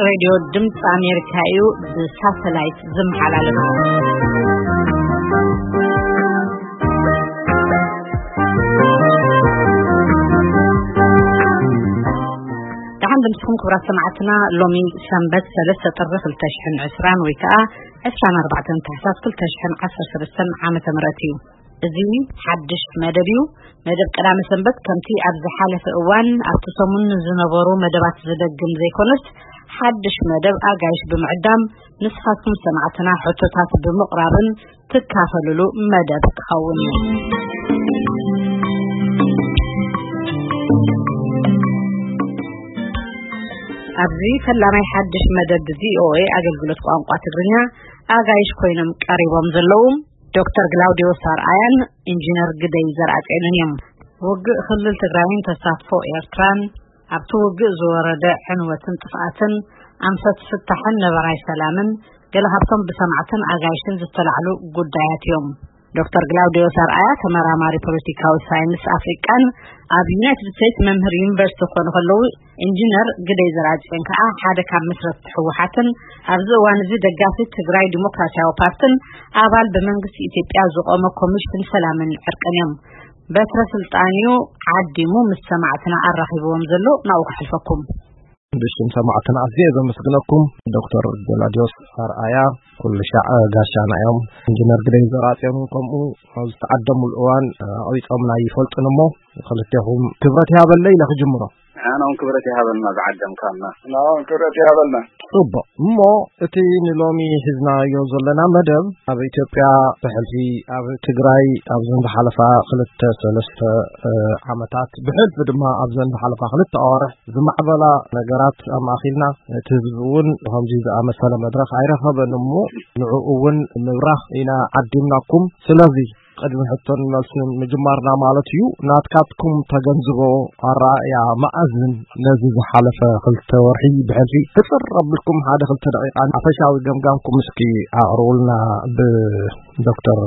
ሬድዮ ድምፂ ኣሜሪካ እዩ ብሳተላይት ዝመሓላለፍ። ደሓን ድምፅኹም ክቡራት ሰማዕትና። ሎሚ ሰንበት ሰለስተ ጥሪ ክልተ ሽሕን ዕስራን ወይ ከዓ ዕስራን ኣርባዕተን ታሕሳስ ክልተ ሽሕን ዓሰርተ ሰለስተን ዓመተ ምህረት እዩ። እዚ ሓድሽ መደብ እዩ። መደብ ቀዳመ ሰንበት ከምቲ ኣብ ዝሓለፈ እዋን ኣብቲ ሰሙን ዝነበሩ መደባት ዝደግም ዘይኮነስ፣ ሓድሽ መደብ ኣጋይሽ ብምዕዳም ንስኻትኩም ሰማዕትና ሕቶታት ብምቕራብን ትካፈልሉ መደብ ክኸውን እዩ። ኣብዚ ፈላማይ ሓድሽ መደብ ቪኦኤ ኣገልግሎት ቋንቋ ትግርኛ ኣጋይሽ ኮይኖም ቀሪቦም ዘለዉ ዶክተር ግላውዲዮስ ኣርኣያን ኢንጂነር ግደይ ዘርኣጽዮንን እዮም። ውግእ ክልል ትግራይን ተሳትፎ ኤርትራን፣ ኣብቲ ውግእ ዝወረደ ዕንወትን ጥፍኣትን፣ ኣንፈት ፍታሕን ነበራይ ሰላምን ገለ ካብቶም ብሰማዕትን ኣጋይሽን ዝተላዕሉ ጉዳያት እዮም። ዶክተር ግላውዲዮስ ኣርኣያ ተመራማሪ ፖለቲካዊ ሳይንስ ኣፍሪቃን ኣብ ዩናይትድ ስቴትስ መምህር ዩኒቨርሲቲ ክኾኑ ከለዉ፣ ኢንጂነር ግደይ ዘርኣጽዮን ከዓ ሓደ ካብ መስረትቲ ህወሓትን ኣብዚ እዋን እዚ ደጋፊ ትግራይ ዲሞክራሲያዊ ፓርትን ኣባል ብመንግስቲ ኢትዮጵያ ዝቆመ ኮሚሽን ሰላምን ዕርቅን እዮም። በትረ ስልጣን እዩ ዓዲሙ ምስ ሰማዕትና ኣራኺብዎም ዘሎ። ናብኡ ከሕልፈኩም። ንእሽቱም ሰማዕትና ኣዝየ ዘመስግነኩም። ዶክተር ገላዲዮስ ኣርኣያ ኩሉ ሻዕ ጋሻና እዮም። ኢንጂነር ግደይ ዘርኣጽዮን እውን ከምኡ ኣብ ዝተዓደሙሉ እዋን ኣቕቢጾምና ይፈልጡን እሞ ክልቴኹም ክብረት ይሃበለይ ኢለ ክጅምሮ። ንዓና እውን ክብረት ይሃበልና ዝዓደምካና። ንዓና እውን ክብረት ይሃበልና። ጽቡቕ። እሞ እቲ ንሎሚ ሒዝናዮ ዘለና መደብ ኣብ ኢትዮጵያ ብሕልፊ ኣብ ትግራይ ኣብዘን ዝሓለፋ ክልተ ሰለስተ፣ እ፣ ዓመታት ብሕልፊ ድማ ኣብዘን ዝሓለፋ ክልተ ኣዋርሕ ዝማዕበላ ነገራት ኣማእኺልና እቲ ህዝቢ እውን ከምዚ ዝኣመሰለ መድረኽ ኣይረኸበን እሞ ንዕኡ እውን ምብራኽ ኢና ዓዲምናኩም። ስለዚ ቅድሚ ሕቶን መልስን ምጅማርና ማለት እዩ፣ ናትካትኩም ተገንዝቦ ኣረኣእያ መኣዝን ነዚ ዝሓለፈ ክልተ ወርሒ ብሕልፊ ሕጽር ኣቢልኩም ሓደ ክልተ ደቂቃ ሓፈሻዊ ገምጋምኩም እስኪ ኣቕርቡልና ብዶክተር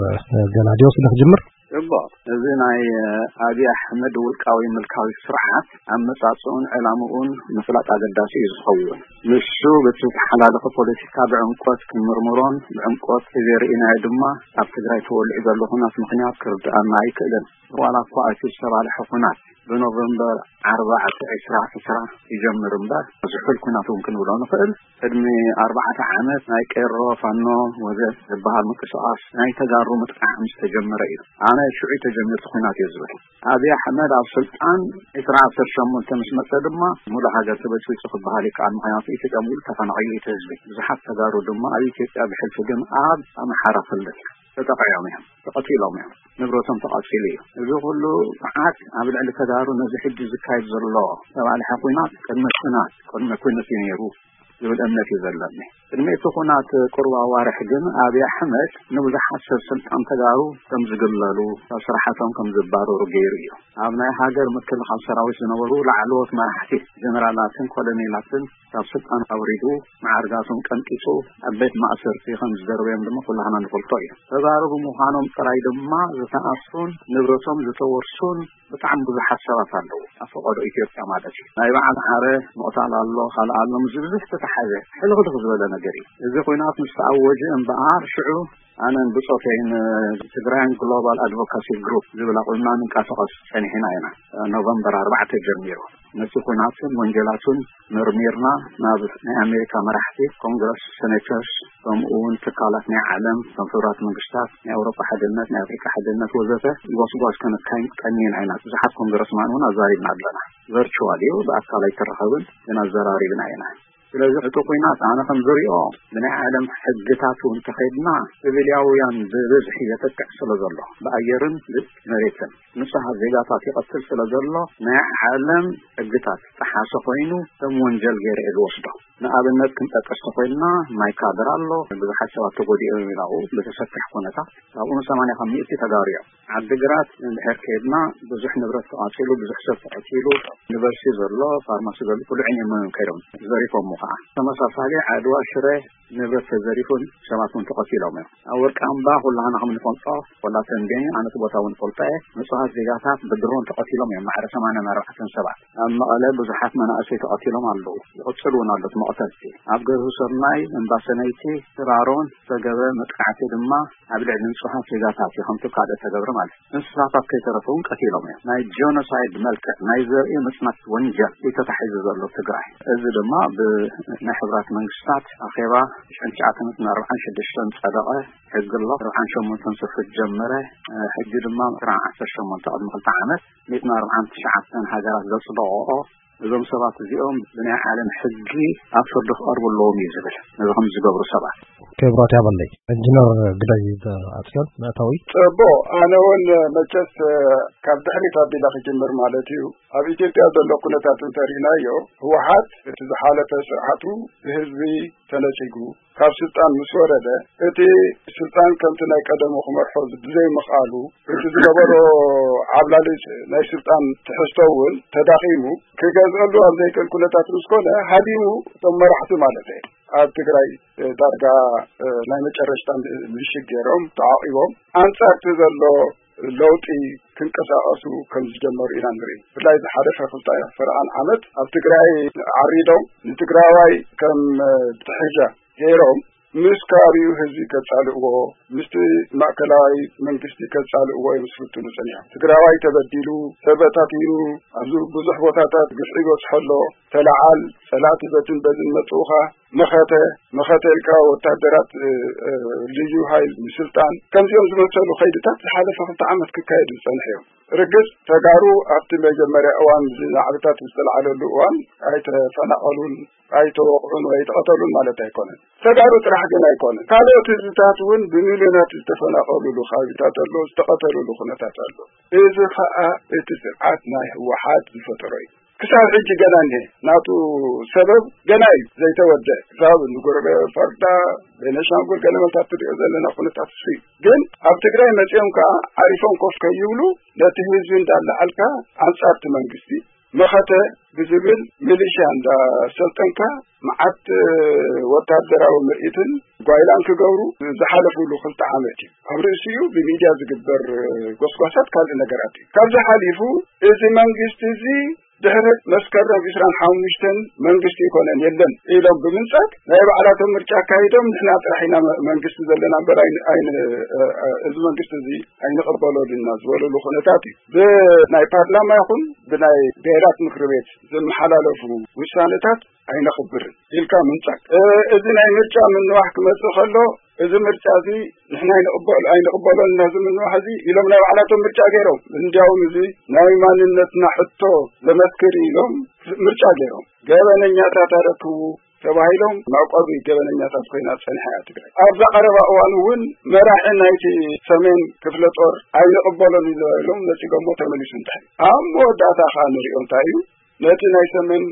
ገላዲዮስ ንክጅምር። ጽቡቕ። እዚ ናይ ኣብይ ኣሕመድ ውልቃዊ ምልካዊ ስርዓት ኣመጻጽኡን ዕላምኡን ምፍላጥ ኣገዳሲ እዩ ዝኸውን። ንሱ በቲ ዝተሓላለኸ ፖለቲካ ብዕምቆት ክንምርምሮን ብዕምቆት ዘርእናዮ ድማ ኣብ ትግራይ ተወሊዑ ዘሎ ኩናት ምኽንያት ክርድኣና ኣይክእልን። ዋላ እኳ እቲ ዝተባልሐ ኩናት ብኖቨምበር ኣርባዕተ ዕስራ ዕስራ ይጀምር እምበር ዝሑል ኩናት እውን ክንብሎ ንኽእል። ቅድሚ ኣርባዕተ ዓመት ናይ ቄሮ ፋኖ ወዘት ዝበሃል ምንቅስቓስ ናይ ተጋሩ ምጥቃዕ ምስ ተጀመረ እዩ። ኣነ ሽዑ ተጀሚሩ ኩናት እየ ዝብል። ኣብይ ኣሕመድ ኣብ ስልጣን ዕስራ ዓሰርተ ሸሞንተ ምስ መጸ ድማ ሙሉእ ሃገር ተበጽቢጹ ክበሃል ይከኣል። ምኽንያቱ ኢትዮጵያ ሙሉእ ተፈናቒሉ እቲ ህዝቢ። ብዙሓት ተጋሩ ድማ ኣብ ኢትዮጵያ ብሕልፊ ግን ኣብ ኣምሓራ ክልል ተጠቒዖም እዮም፣ ተቐቲሎም እዮም፣ ንብረቶም ተቓጺሉ እዩ። እዚ ኩሉ መዓት ኣብ ልዕሊ ተጋሩ ነዚ ሕጂ ዝካየድ ዘሎ ዝተባልሐ ኩናት ቅድሚ ኩናት፣ ቅድሚ ኩነት እዩ ነይሩ ዝብል እምነት እዩ ዘለኒ። ቅድሚ እቲ ኩናት ቁሩብ ኣዋርሕ ግን ኣብይ ኣሕመድ ንብዙሓት ሰብ ስልጣን ተጋሩ ከም ዝግለሉ፣ ካብ ስራሓቶም ከም ዝባረሩ ገይሩ እዩ። ኣብ ናይ ሃገር ምክልኻል ሰራዊት ዝነበሩ ላዕለዎት መራሕቲ ጀነራላትን ኮሎኔላትን ካብ ስልጣን ኣውሪዱ፣ መዓርጋቶም ቀንጢጡ ኣብ ቤት ማእሰርቲ ከም ዝደርበዮም ድማ ኩላህና ንፈልጦ እዩ። ተጋሩ ብምዃኖም ጥራይ ድማ ዝተኣስሩን ንብረቶም ዝተወርሱን ብጣዕሚ ብዙሓት ሰባት ኣለዉ። ኣብ ፈቐዶ ኢትዮጵያ ማለት እዩ። ናይ በዓል ዓረ ምቕታል ኣሎ፣ ካልእ ኣሎ፣ ምስዚ ብዙሕ ዝተተሓዘ ሕልኽልኽ ዝበለ ነገር እዩ። እዚ ኲናት ምስ ተኣወጀ እምበኣር ሽዑ ኣነን ብጾተይን ትግራይን ግሎባል ኣድቮካሲ ግሩፕ ዝብል ኣቑምና ንንቀሳቐስ ጸኒሕና ኢና። ኖቨምበር ኣርባዕተ ጀሚሩ ነቲ ኲናትን ወንጀላቱን መርሚርና ናብ ናይ ኣሜሪካ መራሕቲ፣ ኮንግረስ፣ ሴኔተርስ፣ ከምኡ እውን ትካላት ናይ ዓለም፣ ከም ሕቡራት መንግስታት፣ ናይ ኣውሮፓ ሓድነት፣ ናይ ኣፍሪካ ሓድነት ወዘተ ጎስጓስ ከነካይድ ቀኒና ኢና። ብዙሓት ኮንግረስማን እውን ኣዛሪብና ኣለና። ቨርቹዋል እዩ፣ ብኣካል ኣይተራኸብን፣ ግን ኣዘራሪብና ኢና። ስለዚ እቲ ኲናት ኣነ ከም ዝሪኦ ብናይ ዓለም ሕግታት እውን እንተኸይድና ሲቪልያውያን ብብዝሒ የጥቅዕ ስለ ዘሎ ብኣየርን ብመሬትን ንጹሃት ዜጋታት ይቐትል ስለ ዘሎ ናይ ዓለም ሕግታት ጠሓሰ ኮይኑ ከም ወንጀል ገይረ እየ ዝወስዶ። ንኣብነት ክንጠቅስ ተኾይንና ማይካድራ ኣሎ፣ ብዙሓት ሰባት ተጎዲኦም እዮም ናብኡ ብተሰክሕ ኩነታት። ካብኡ ሰማንያ ካብ ሚእቲ ተጋሩ እዮም። ዓዲግራት እንድሕር ከይድና ብዙሕ ንብረት ተቓጺሉ፣ ብዙሕ ሰብ ተቐቲሉ፣ ዩኒቨርሲቲ ዘሎ፣ ፋርማሲ ዘሎ፣ ኩሉ ዕንየሞ እዮም ከይዶም ዘሪፎሞ። ተመሳሳሊ ዓድዋ ሽረ ንብረት ተዘሪፉን ሰባት እውን ተቐቲሎም እዮም። ኣብ ወርቂ ኣምባ ኩላህና ከም ንፈልጦ፣ ወላ ተንቤን ኣነቲ ቦታ እውን ፈልጦ እየ፣ ንጹሃት ዜጋታት ብድሮን ተቐቲሎም እዮም፣ ማዕረ ሰማንያን ኣርባዕተን ሰባት። ኣብ መቐለ ብዙሓት መናእሰይ ተቐቲሎም ኣለዉ፣ ይቕጽል እውን ኣሎ እቲ መቕተልቲ። ኣብ ገርሁ ሰናይ፣ እምባ ሰነይቲ፣ ሽራሮን ዝተገበ መጥቃዕቲ ድማ ኣብ ልዕሊ ንጹሃት ዜጋታት እዩ ከምቲ ካልእ ተገብረ ማለት እዩ። እንስሳታት ከይተረፈ እውን ቀቲሎም እዮም። ናይ ጀኖሳይድ መልክዕ ናይ ዘርኢ ምጽናት ወንጀል እዩ ተታሒዙ ዘሎ ትግራይ። እዚ ድማ ብናይ ሕብራት መንግስታት ኣኼባ ሽሕን ትሽዓተ ሚእትን ኣርባዓን ሽዱሽተን ጸደቐ ሕጊ ኣሎ። ኣርባዓን ሸሞንተን ስርሑ ጀመረ። ሕጂ ድማ መስከረም ዓሰርተ ሸሞንተ ቅድሚ ክልተ ዓመት ሚእትን ኣርባዓን ትሽዓተን ሃገራት ዘጽደቐኦ እዞም ሰባት እዚኦም ብናይ ዓለም ሕጊ ኣብ ፍርዲ ክቐርቡ ኣለዎም እዩ ዝብል። ነዚ ከም ዝገብሩ ሰባት። ክብሮት ያበለይ። ኢንጂነር ግደይ ኣጽዮን መእታዊ። ጽቡቕ፣ ኣነ እውን መቸስ ካብ ድሕሪት ኣቢለ ክጅምር ማለት እዩ። ኣብ ኢትዮጵያ ዘሎ ኩነታት እንተሪእናዮ፣ ህወሓት እቲ ዝሓለፈ ስርዓቱ ብህዝቢ ተነጺጉ ካብ ስልጣን ምስ ወረደ፣ እቲ ስልጣን ከምቲ ናይ ቀደሙ ክመርሖ ብዘይምኽኣሉ፣ እቲ ዝገበሮ ዓብላሊ ናይ ስልጣን ትሕዝቶ እውን ተዳኺሙ፣ ክገዝአሉ ኣብ ዘይክእል ኩነታት ምስ ኮነ፣ ሃዲሙ፣ እቶም መራሕቲ ማለት እየ፣ ኣብ ትግራይ ዳርጋ ናይ መጨረሽታ ምሽግ ገይሮም ተዓቂቦም፣ ኣንጻር እቲ ዘሎ ለውጢ ክንቀሳቐሱ ከም ዝጀመሩ ኢና ንርኢ። ብፍላይ ዝሓለፈ ክልተ ፈረቓን ዓመት ኣብ ትግራይ ዓሪዶም ንትግራዋይ ከም ትሕሻ ገይሮም ምስ ከባቢኡ ህዝቢ ከጻልእዎ፣ ምስቲ ማእከላዊ መንግስቲ ከጻልእዎ እዮም ዝፍትኑ ጸኒሖም። ትግራዋይ ተበዲሉ፣ ተበታቲኑ፣ ኣብዚ ብዙሕ ቦታታት ግፍዒ ይበጽሖ ኣሎ፣ ተለዓል፣ ጸላእቲ በትን በዝን መጽኡኻ፣ መኸተ፣ መኸተ ኢልካ ወታደራት፣ እ፣ እ፣ ልዩ ሃይል ምስልጣን፣ ከምዚኦም ዝመሰሉ ከይድታት ዝሓለፈ ክልተ ዓመት ክካየዱ ዝጸንሑ እዮም። ርግጽ ተጋሩ ኣብቲ መጀመርያ እዋን እዚ ናዕብታት ዝተለዓለሉ እዋን ኣይተፈናቐሉን፣ ኣይተወቕዑን ወይ ኣይተቐተሉን ማለት ኣይኮነን። ተጋሩ ጥራሕ ግን ኣይኮነን። ካልኦት ህዝብታት እውን ብሚልዮናት ዝተፈናቐሉሉ ከባቢታት ኣሎ፣ ዝተቐተሉሉ ኩነታት ኣሎ። እዚ ኸኣ እቲ ስርዓት ናይ ህወሓት ዝፈጠሮ እዩ። ክሳብ ሕጂ ገና እኒሀ። ናቱ ሰበብ ገና እዩ ዘይተወደ። ክሳብ ንጎረቤት ፈርዳ፣ ቤነሻንጉል ገለ መልታት ትሪኦ ዘለና ኩነታት እሱ እዩ። ግን ኣብ ትግራይ መጺኦም ከኣ ዓሪፎም ኮፍ ከይብሉ ነቲ ህዝቢ እንዳለዓልካ ኣንጻርቲ መንግስቲ መኸተ ብዝብል ሚሊሽያ እንዳሰልጠንካ መዓት ወታደራዊ ምርኢትን ጓይላን ክገብሩ ዝሓለፉሉ ክልተ ዓመት እዩ። ኣብ ርእሲኡ ብሚድያ ዝግበር ጎስጓሳት ካልእ ነገራት እዩ። ካብዚ ሓሊፉ እዚ መንግስቲ እዚ ድሕሪ መስከረም ዕስራን ሓሙሽተን መንግስቲ ይኮነን የለን ኢሎም ብምንጻግ ናይ ባዕላቶም ምርጫ ኣካይዶም ንሕና ጥራሕ ኢና መ-፣ መንግስቲ ዘለና እምበር ኣይን-፣ ኣይን-፣ እ-፣ እ-፣ እዚ መንግስቲ እዚ ኣይንቕበሎን ኢና ዝበለሉ ኩነታት እዩ። ብናይ ፓርላማ ይኹን ብናይ ብሄራት ምክሪ ቤት ዝመሓላለፉ ውሳነታት ኣይነኽብርን ኢልካ ምንጻግ። እ፣ እዚ ናይ ምርጫ ምንዋሕ ክመጽእ ከሎ፣ እዚ ምርጫ እዚ ንሕና ኣይንቕበል-፣ ኣይንቕበሎን ኢና፣ እዚ ምንዋሕ እዚ ኢሎም ናይ ባዕላቶም ምርጫ ገይሮም። እንዲያውም እዚ ናይ ማንነትና ሕቶ ዘመስክር ኢሎም ምርጫ ገይሮም። ገበነኛታት ኣረክቡ ተባሂሎም መዕቆቢ ገበነኛታት ኮይና ጸኒሓ እያ ትግራይ። ኣብዛ ቀረባ እዋን እውን መራሒ ናይቲ ሰሜን ክፍለ ጦር ኣይንቕበሎን ኢና ኢሎም ነጺጎሞ ተመሊሱ እንታይ። ኣብ መወዳእታ ከኣ ንሪኦ እንታይ እዩ፣ ነቲ ናይ ሰሜን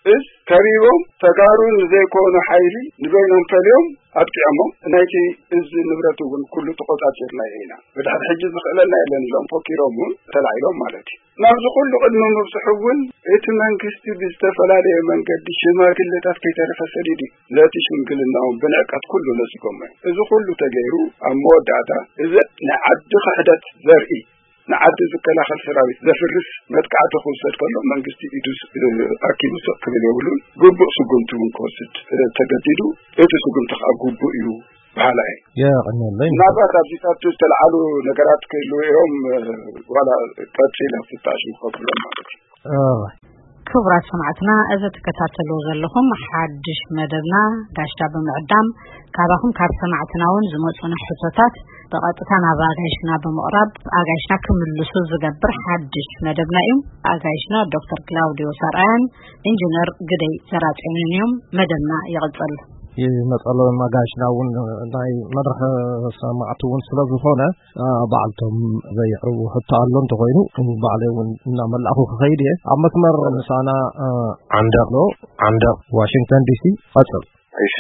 እዝ ከቢቦም ተጋሩ ንዘይኮኑ ሓይሊ ንበይኖም ፈልዮም ኣጥቂዖሞም። ናይቲ እዝ ንብረት እውን ኩሉ ተቆጻጺርናዮ ኢና። ብድሕሪ ሕጂ ዝኽእለና የለን ኢሎም ፈኪሮም እውን ተላዒሎም ማለት እዩ። ናብዚ ኩሉ ቅድሚ ምብጽሑ እውን እቲ መንግስቲ ብዝተፈላለየ መንገዲ ሽማግለታት ከይተረፈ ሰዲዱ እዩ። ነቲ ሽምግልናኦም ብንዕቀት ኩሉ ነጺጎሞ እዮም። እዚ ኩሉ ተገይሩ ኣብ መወዳእታ እዚ ናይ ዓዲ ክሕደት ዘርኢ ንዓዲ ዝከላኸል ሰራዊት ዘፍርስ መጥቃዕቲ ክውሰድ ከሎ መንግስቲ ኢዱ ስ-፣ ኣኪቡ ስቕ ክብል የብሉን። ግቡእ ስጉምቲ እውን ክወስድ፣ እ፣ ተገዲዱ። እቲ ስጉምቲ ከዓ ግቡእ እዩ በሃላይ። የቐንየለይ። ምናልባት ኣብዚታት ዝተለዓሉ ነገራት ክህልዉ እዮም፣ እ፣ ዋላ ቀፂለ ፍታሽ ንኸብሎም ማለት እዩ። እ፣ ክቡራት ሰማዕትና፣ እዚ ትከታተልዎ ዘለኹም ሓድሽ መደብና ጋሽና ብምዕዳም፣ ካባኹም ካብ ሰማዕትና እውን ዝመጹና ሕቶታት ብቐጥታ ናብ ኣጋይሽና ብምቕራብ፣ ኣጋይሽና ክምልሱ ዝገብር ሓድሽ መደብና እዩ። ኣጋይሽና ዶክተር ክላውዲዮስ ኣርኣያን ኢንጂነር ግደይ ዘራጽዮንን እዮም። መደብና ይቕጽል። ይመጸሎም ኣጋይሽና እውን ናይ መድረኽ ሰማዕቲ እውን ስለ ዝኾነ፣ እ፣ ባዕልቶም ዘየዕርቡ ሕቶ ኣሎ እንተኾይኑ፣ ባዕለይ እውን እናመላእኹ ክኸይድ እየ። ኣብ መስመር ምሳና፣ እ፣ ዓንደቕ ኣሎ። ዓንደቕ ዋሽንግተን ዲሲ። ቀጽል። እሺ፣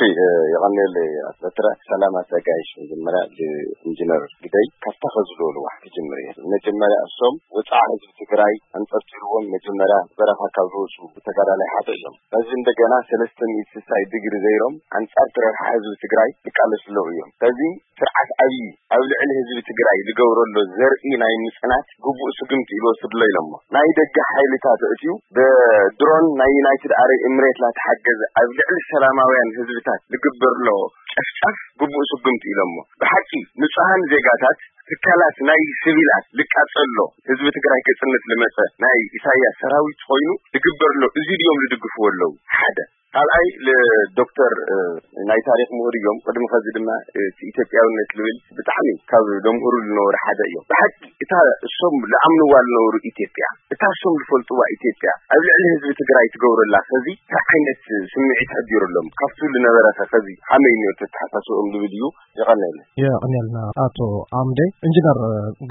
የቐንየለይ ኣቶ በትረ። ሰላም ኣዘጋጅ። መጀመርያ ብኢንጂነር ግደይ ካብታ ከዝለወልዋ ክጅምር እየ። መጀመርያ እሶም ወፃዓ ህዝቢ ትግራይ ኣንጠልጢልዎም መጀመርያ በረኻ ካብ ዝወፁ ተጋዳላይ ሓደ እዮም። በዚ እንደገና ሰለስተ ሚእቲ ስሳይ ዲግሪ ዘይሮም ኣንፃር ትረርሓ ህዝቢ ትግራይ ይቃለሱ ኣለዉ እዮም። በዚ ስርዓት ኣብይ ኣብ ልዕሊ ህዝቢ ትግራይ ዝገብረሎ ዘርኢ ናይ ምፅናት ግቡእ ስጉምቲ ኢሉ ወስድሎ ኢሎሞ። ናይ ደገ ሓይልታት እትዩ ብድሮን ናይ ዩናይትድ ኣረብ ኤምሬት ላተሓገዘ ኣብ ልዕሊ ሰላማውያን ህዝብታት ዝግበር ኣሎ ጨፍጫፍ ግቡእ ስጉምቲ ኢሎሞ። ብሓቂ ንጹሃን ዜጋታት ትካላት ናይ ሲቪላት ልቃጸሎ ህዝቢ ትግራይ ክጽንት ልመጸ ናይ ኢሳያስ ሰራዊት ኮይኑ ዝግበር ኣሎ እዚ ድዮም ዝድግፍዎ ኣለዉ? ሓደ ካልኣይ ዶክተር ናይ ታሪክ ምሁር እዮም። ቅድሚ ከዚ ድማ እቲ ኢትዮጵያውነት ልብል ብጣዕሚ ካብ ዘምህሩ ዝነበሩ ሓደ እዮም። ብሓቂ እታ እሶም ዝኣምንዋ ዝነበሩ ኢትዮጵያ፣ እታ እሶም ዝፈልጥዋ ኢትዮጵያ ኣብ ልዕሊ ህዝቢ ትግራይ ትገብረላ ከዚ እንታይ ዓይነት ስምዒት ኣዲሩሎም ካብቲ ዝነበረ ከ ከዚ ከመይ ነይሩ ተተሓሳስብኦም ዝብል እዩ። የቐንየልና። የቐንየልና ኣቶ ኣምዴ። ኢንጂነር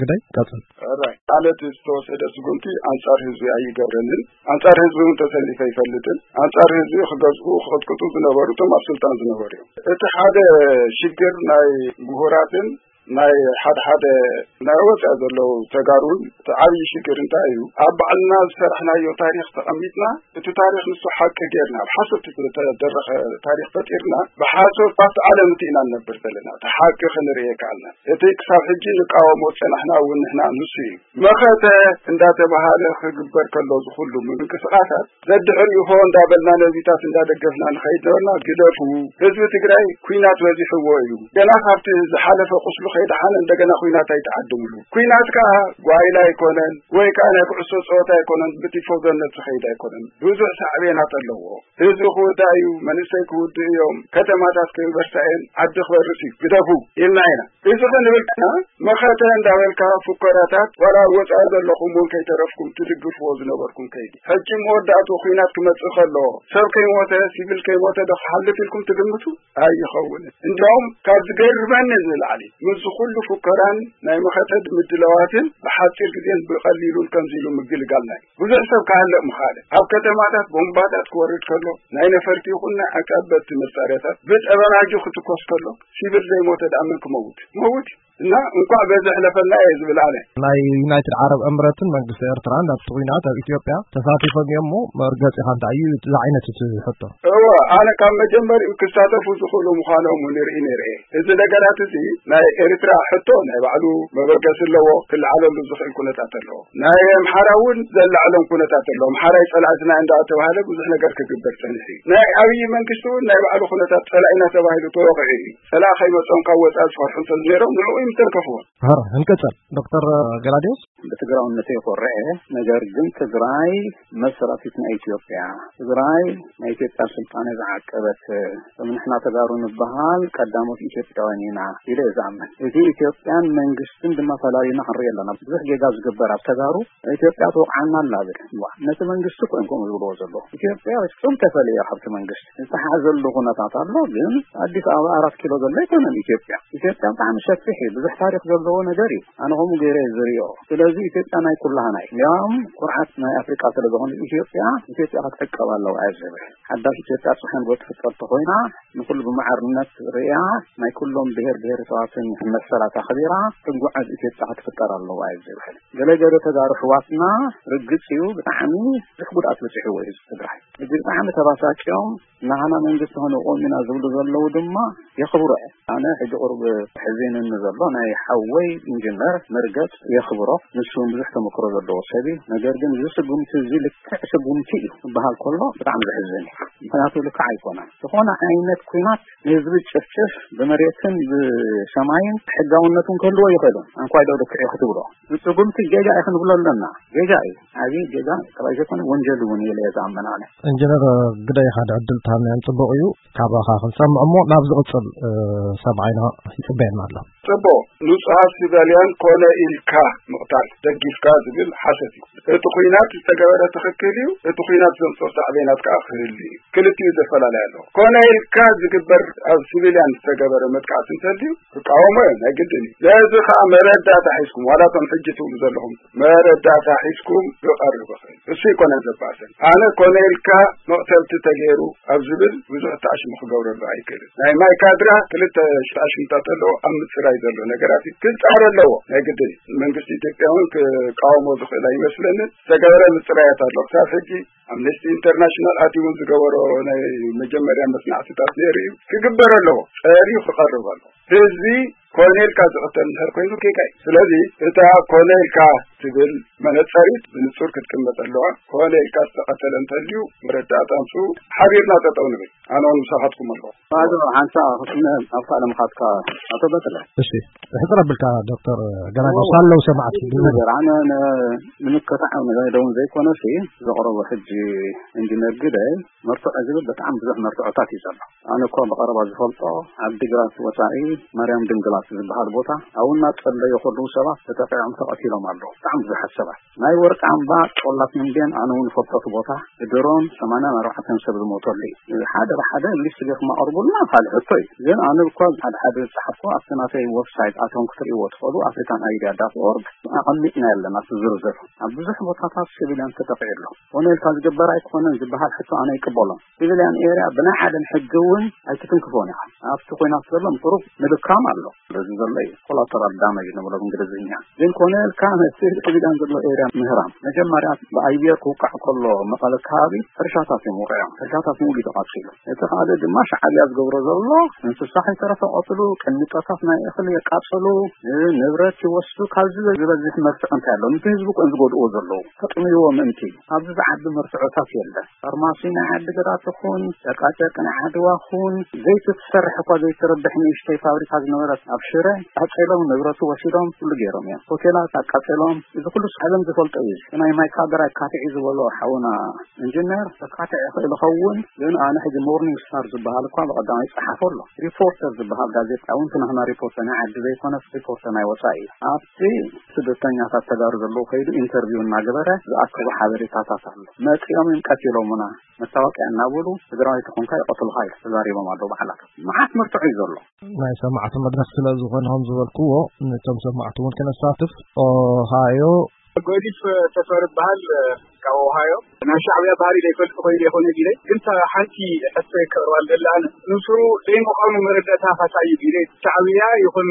ግደይ ቀጽል። ራይ ማለት ዝተወሰደ ስጉምቲ ኣንጻር ህዝቢ ኣይገብረንን። ኣንጻር ህዝቢ እውን ተሰሊፈ ኣይፈልጥን። ኣንጻር ህዝቢ ክገዝኡ ክቕጥቅጡ ዝነበሩ እቶም ኣብ ስልጣን ዝነበሩ እዮም። እቲ ሓደ ሽግር ናይ ምሁራትን ናይ ሓደ ሓደ ናይ ወፃኢ ዘለዉ ተጋሩን እቲ ዓብዪ ሽግር እንታይ እዩ? ኣብ ባዕልና ዝሰራሕናዮ ታሪኽ ተቐሚጥና እቲ ታሪኽ ንሱ ሓቂ ጌርና ኣብ ሓሰት ዝተደረኸ ታሪኽ ፈጢርና ብሓሶት ኣብቲ ዓለም እቲ ኢና ንነብር ዘለና። እቲ ሓቂ ክንርኢ የከኣልና። እቲ ክሳብ ሕጂ ንቃወሞ ዝፀናሕና እውን ንሕና ንሱ እዩ። መኸተ እንዳተባሃለ ክግበር ከሎ ዝኹሉ ምንቅስቃሳት ዘድሕር ይኾ እንዳበልና ነዚታት እንዳደገፍና ንኸይድ ነበርና። ግደፉ፣ ህዝቢ ትግራይ ኩናት በዚሕዎ እዩ። ገና ካብቲ ዝሓለፈ ቁስሉ ከይደሓነ እንደገና ኩናት ኣይተዓድምሉ። ኩናት ከዓ ጓይላ ኣይኮነን ወይ ከዓ ናይ ኩዕሶ ፀወታ ኣይኮነን፣ ብቲፎዞነት ዝኸይድ ኣይኮነን። ብዙሕ ሳዕቤናት ኣለዎ። ህዝቢ ክውዳእ እዩ፣ መንእሰይ ክውድእ እዮም፣ ከተማታት ክበርሳ እየን፣ ዓዲ ክበርስ እዩ። ግደፉ ኢልና ኢና። እዚ ክንብል ከና መኸተ እንዳበልካ ፉከራታት ዋላ ወፃኢ ዘለኹም እውን ከይተረፍኩም ትድግፍዎ ዝነበርኩም ከይዲ ሕጂ መወዳእቱ ኩናት ክመፅእ ከሎ ሰብ ከይሞተ ሲቪል ከይሞተ ዶ ክሓልፍ ኢልኩም ትግምቱ? ኣይኸውንን። እንዲያውም ካብ ዝገርመኒ ንላዕሊ ምስዚ ኩሉ ፉከራን ናይ መኸተ ምድላዋትን ብሓፂር ግዜን ብቐሊሉን ከምዚ ኢሉ ምግልጋል ናይ ብዙሕ ሰብ ክሃልቕ ምኻለ ኣብ ከተማታት ቦምባታት ክወርድ ከሎ ናይ ነፈርቲ ይኹን ናይ ዓቃበት መሳርያታት ብጠበናጁ ክትኮስ ከሎ ሲቪል ዘይሞተ ደኣ መን ክመውት መውት እና እንኳዕ በዚ ሕለፈና እየ ዝብል ኣነ። ናይ ዩናይትድ ዓረብ እምረትን መንግስቲ ኤርትራን ኣብቲ ኩናት ኣብ ኢትዮጵያ ተሳቲፎም እዮም እሞ መርገፂኻ እንታይ እዩ እዚ ዓይነት እቲ ሕቶ? እወ ኣነ ካብ መጀመሪኡ ክሳተፉ ዝኽእሉ ምዃኖም ንርኢ ነይረ እየ። እዚ ነገራት እዚ ናይ ኤርትራ ሕቶ ናይ ባዕሉ መበገሲ ኣለዎ፣ ክለዓለሉ ዝኽእል ኩነታት ኣለዎ። ናይ ኣምሓራ እውን ዘላዕሎም ኩነታት ኣለዎ። ኣምሓራይ ፀላእትና እንዳተባሃለ ብዙሕ ነገር ክግበር ፀኒሑ እዩ። ናይ ኣብይ መንግስቲ እውን ናይ ባዕሉ ኩነታት ፀላኢና ተባሂሉ ተወቂዑ እዩ። ፀላእ ከይመፆም ካብ ወፃኢ ዝፈርሑ እንተነይሮም ንዕኡ እዩ ምተንከፍዎ። ሀረ እንቀጸል ዶክተር ገላዲዮስ። ብትግራውነተይ ይኮርዕ እየ። ነገር ግን ትግራይ መሰራቲት ናይ ኢትዮጵያ፣ ትግራይ ናይ ኢትዮጵያ ስልጣነ ዝዓቀበት፣ ከም ንሕና ተጋሩ ንበሃል ቀዳሞት ኢትዮጵያውያን ኢና ኢለ እየ ዝኣምን። እዚ ኢትዮጵያን መንግስትን ድማ ፈላሊና ክንርኢ ኣለና። ብዙሕ ጌጋ ዝግበር ኣብ ተጋሩ ኢትዮጵያ ትወቕዓና ኣላ ዝብል። እዋ፣ ነቲ መንግስቲ እኮ እዮም ከምኡ ዝብልዎ ዘለዉ። ኢትዮጵያ ፍጹም ተፈልየ ካብቲ መንግስቲ። ዝተሓዘሉ ኩነታት ኣሎ፣ ግን ኣዲስ ኣበባ ኣራት ኪሎ ዘሎ ኣይኮነን ኢትዮጵያ። ኢትዮጵያ ብጣዕሚ ሰፊሕ እዩ፣ ብዙሕ ታሪኽ ዘለዎ ነገር እዩ። ኣነ ከምኡ ገይረ እየ ዝሪኦ። ስለዚ ኢትዮጵያ ናይ ኩላህና እዩ። እንዲያውም ኩርዓት ናይ ኣፍሪቃ ስለ ዝኾነ ኢትዮጵያ፣ ኢትዮጵያ ክትዕቀብ ኣለዋ እየ ዝብል። ሓዳሽ ኢትዮጵያ ጽሕን ትፍጠር ተኾይና ንኹሉ ብማዕርነት ርእያ ናይ ኩሎም ብሔር ብሔረሰባትን መሰላት ኣኽቢራ ትጓዓዝ ኢትዮጵያ ክትፍጠር ኣለዋ እዩ ዝብል። ገለ ገለ ተጋሩ ኣሕዋትና ርግጽ እዩ ብጣዕሚ ብዙሕ ጉድኣት በጺሕዎ እዩ ህዝቢ ትግራይ። ሕጂ ብጣዕሚ ተባሳጭዮም ናህና መንግስቲ ክንቆም ኢና ዝብሉ ዘለዉ ድማ የኽብሮ እየ። ኣነ ሕጂ ቁሩብ ሕዚንኒ ዘሎ ናይ ሓወይ ኢንጂነር መርገጽ የኽብሮ። ንሱ እውን ብዙሕ ተመክሮ ዘለዎ ሰብ እዩ። ነገር ግን እዚ ስጉምቲ እዚ ልክዕ ስጉምቲ እዩ ክበሃል ከሎ ብጣዕሚ ዘሕዝን እዩ። ምኽንያቱ ልክዕ ኣይኮነን። ዝኾነ ዓይነት ኲናት ንህዝቢ ጭፍጭፍ ብመሬትን ብሰማይን ሕጋውነቱን ክህልዎ ይኽእልን። ኣንኳይ ዶ ልክዕ እዩ ክትብሎ። ስጉምቲ ጌጋ እዩ ክንብሎ ኣለና። ጌጋ እዩ። ዓብዪ ጌጋ ጥራይ ዘይኮነ ወንጀል እውን እዩ ኢለ እየ ዝኣምን ኣነ። ኢንጂነር ግደይ ሓደ ዕድል ተሃንያን ጽቡቕ እዩ። ካባኻ ክንሰምዕ እሞ ናብ ዝቕጽል ሰብዓይና ይጽበየና ኣሎ። ጽቡቕ፣ ንጹሃት ሲቪልያን ኮነ ኢልካ ምቕታል ደጊፍካ ዝብል ሓሰት እዩ። እቲ ኲናት ዝተገበረ ትኽክል እዩ፣ እቲ ኲናት ዘምጽኦ ሳዕቤናት ከኣ ክህሉ እዩ። ክልቲኡ ዘፈላለየ ኣለዎ። ኮነ ኢልካ ዝግበር ኣብ ሲቪልያን ዝተገበረ መጥቃዕቲ እንተልዩ ክቃወሞ እየ፣ ናይ ግድን እዩ። ነዚ ከኣ መረዳእታ ሒዝኩም፣ ዋላ እቶም ሕጂ ትብሉ ዘለኹም መረዳእታ ሒዝኩም ክቐርብ ይኽእል። እሱ ይኮነ ዘባሰል። ኣነ ኮነ ኢልካ መቕተልቲ ተገይሩ ኣብ ዝብል ብዙሕ ተኣሽሙ ክገብረሉ ኣይክእልን። ናይ ማይካድራ ክልተ ተኣሽሙታት ኣለዎ፣ ኣብ ምጽራይ ዘሎ ነገራት እዩ። ክጻረ ኣለዎ፣ ናይ ግድን እዩ። መንግስቲ ኢትዮጵያ እውን ክቃወሞ ዝኽእል ኣይመስለንን። ዝተገበረ ምጽራያት ኣሎ። ክሳብ ሕጂ ኣምነስቲ ኢንተርናሽናል ኣትዩ እውን ዝገበሮ ናይ መጀመርያ መጽናዕትታት ነይሩ እዩ። ክግበር ኣለዎ። ጸርዩ ክቐርብ ኣለዎ። ህዝቢ ኮነ ኢልካ ዝቕተል እንድሕር ኮይኑ ጌጋ እዩ። ስለዚ እታ ኮነ ኢልካ ትብል መነጸሪት ብንጹር ክትቅመጥ ኣለዋ። ኮነ ኢልካ ዝተቐተለ እንተልዩ መረዳእታ ኣምጽኡ፣ ሓቢርና ጠጠው ንብል። ኣነ እውን ምሳኻትኩም ኣለኹ። ኣቶ ሓንሳ ክስነ ኣብ ካልእ ምኻትካ ኣቶ በትረ። እሺ፣ ሕጽር ኣቢልካ ዶክተር ገላጋሽ እዎ። ኣለዉ ሰማዕቲ። ነገር ኣነ ን-፣ ንምክታዕ ነገር ደውን ዘይኮነሲ ዘቕረቦ ሕጂ ኢንጂነር ግደ መርትዖ ዝብል ብጣዕሚ ብዙሕ መርትዖታት እዩ ዘሎ። ኣነ እኮ ብቐረባ ዝፈልጦ ዓዲግራት ወጻኢ ማርያም ድንግላት ዝበሃል ቦታ ኣብኡ እናጸለዩ ከለዉ ሰባት ተጠቂዖም ተቐቲሎም ኣለዉ። ብጣዕሚ ብዙሓት ሰባት ናይ ወርቂ ኣምባ ጦላት ምንድን ኣነ እውን ፈልጦ እቲ ቦታ ብድሮን ሰማንያን ኣርባዕተን ሰብ ዝሞተሉ እዩ። ሓደ ብሓደ ሊስት ጌርኩም ኣቕርቡልና ካልእ ሕቶ እዩ። ግን ኣነ እኳ ሓደ ሓደ ዝጸሓፍኩ ኣብቲ ናተይ ዌብሳይት ኣቶም ክትርእይዎ ትኽእሉ ኣፍሪካን ኣይዲያ ዳት ኦርግ ኣቐሚጥና ኣለና እቲ ዝርዝር። ኣብ ብዙሕ ቦታታት ሲቪልያን ተጠቂዑ ኣሎ። ኮነ ኢልካ ዝግበር ኣይኮነን ዝበሃል ሕቶ ኣነ ይቅበሎ። ሲቪልያን ኤርያ ብናይ ዓለም ሕጊ እውን ኣይትትንክፎን ኢኻ። ኣብቲ ኮይናት ዘሎ ምቁሩብ ምድካም ኣሎ። በዚ ዘሎ እዩ ኮላተራል ዳመጅ ንብሎ ብእንግሊዝኛ። ግን ኮነ ኢልካ ነቲ ሲቪልያን ዘሎ ኤርያ ምህራም መጀመርያ ብኣየር ክውቃዕ ከሎ መቐለ ከባቢ ሕርሻታት እዮም ውቂዖም። ሕርሻታት ሙሉ ተቃጺሉ። እቲ ካልእ ድማ ሻዕብያ ዝገብሮ ዘሎ እንስሳ ከይተረፈ ቀትሉ፣ ቅንጠታት ናይ እኽሊ የቃጽሉ፣ ንብረት ይወስዱ። ካብዚ ዝበዝሕ መርትዖ እንታይ ኣሎ? ነቲ ህዝቢ እኮ እዮም ዝጎድእዎ ዘለዉ። ተጥምይዎ ምእንቲ ኣብዚ ዝዓቢ መርትዖታት የለን። ፋርማሲ ናይ ዓዲግራት ይኹን፣ ጨቃጨቂ ናይ ዓድዋ ይኹን፣ ዘይቲ ትሰርሕ እኳ ዘይትረብሕ ንእሽተይ ፋብሪካ ዝነበረት ኣብ ሽረ ኣቃጺሎም፣ ንብረቱ ወሲዶም፣ ኩሉ ገይሮም እዮም። ሆቴላት ኣቃጺሎም። እዚ ኩሉ ዓለም ዝፈልጦ እዩ። ናይ ማይካድራ ካትዒ ዝበሎ ሓውና ኢንጂነር ተካትዒ ይኽእል ይኸውን፣ ግን ኣነ ሕጂ ሞርኒንግ ስታር ዝበሃል እኳ ብቐዳማይ ይጸሓፎ ኣሎ። ሪፖርተር ዝበሃል ጋዜጣ እውን ትናህና ሪፖርተር ናይ ዓዲ ዘይኮነስ ሪፖርተር ናይ ወጻኢ እዩ። ኣብቲ ስደተኛታት ተጋሩ ዘለዉ ከይዱ ኢንተርቪው እናገበረ ዝኣከቦ ሓበሬታታት ኣሎ። መጺኦም እዮም ቀቲሎምና፣ መታወቂያ እናበሉ ትግራዋይ ተኾንካ ይቐትሉኻ ኢሉ ተዛሪቦም ኣለዉ ባዕላቶም። መዓት መርትዖ እዩ ዘሎ። ናይ ሰማዕቲ መድረኽ ስለ ዝኾነ ከም ዝበልክዎ ነቶም ሰማዕቲ እውን ክነሳትፍ ኦሃዮ ጎዲፍ ተፈሪ ይበሃል፣ ካብ ኦሃዮ። ናይ ሻዕብያ ባህሪ ዘይፈልጥ ኮይኑ ይኾነ ቢለ፣ ግን እታ ሓንቲ ሕቶ የቀርባል ደላ ኣነ። ንሱ ዘይምዃኑ መረዳእታ ካሳዩ ቢለ፣ ሻዕብያ ይኹን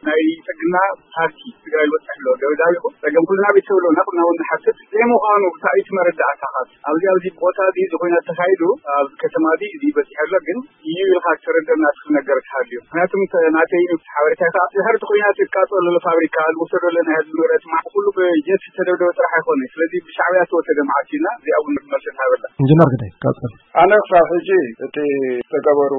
ናይ ጽግና ፓርቲ ትግራይ ዝበጽሕ ኣሎ። ደብዳብ ይኹን ጸገም ኩልና ቤተሰብ ኣለና፣ ኩልና እውን ንሓስብ። ዘይምዃኑ ብታይት መረዳእታ ካስ ኣብዚ፣ ኣብዚ ቦታ እዚ እዚ ኮይና ተኻይዱ፣ ኣብ ከተማ እዚ እዚ በጺሑ ኣሎ፣ ግን እዩ ኢልካ ትርድእ ናትክ ነገር ትሃልዩ። ምክንያቱም ተ-፣ ናተይ ሓበሬታ ከዓ ድሕሪ እቲ ኩናት ይቃጸል ዘሎ ፋብሪካ፣ ዝወሰዶ ዘሎ ናይ ህዝቢ ንብረት፣ ማዕት ኩሉ ብጀት ዝተደብደበ ጥራሕ ኣይኮነ። ስለዚ ብሻዕብያ ዝተወሰደ መዓት ኢልና እዚኣ እውን መልሲ ትሃበላ። ኢንጂነር ግደይ፣ ቀጽል። ኣነ ክሳብ ሕጂ እቲ ዝተገበሩ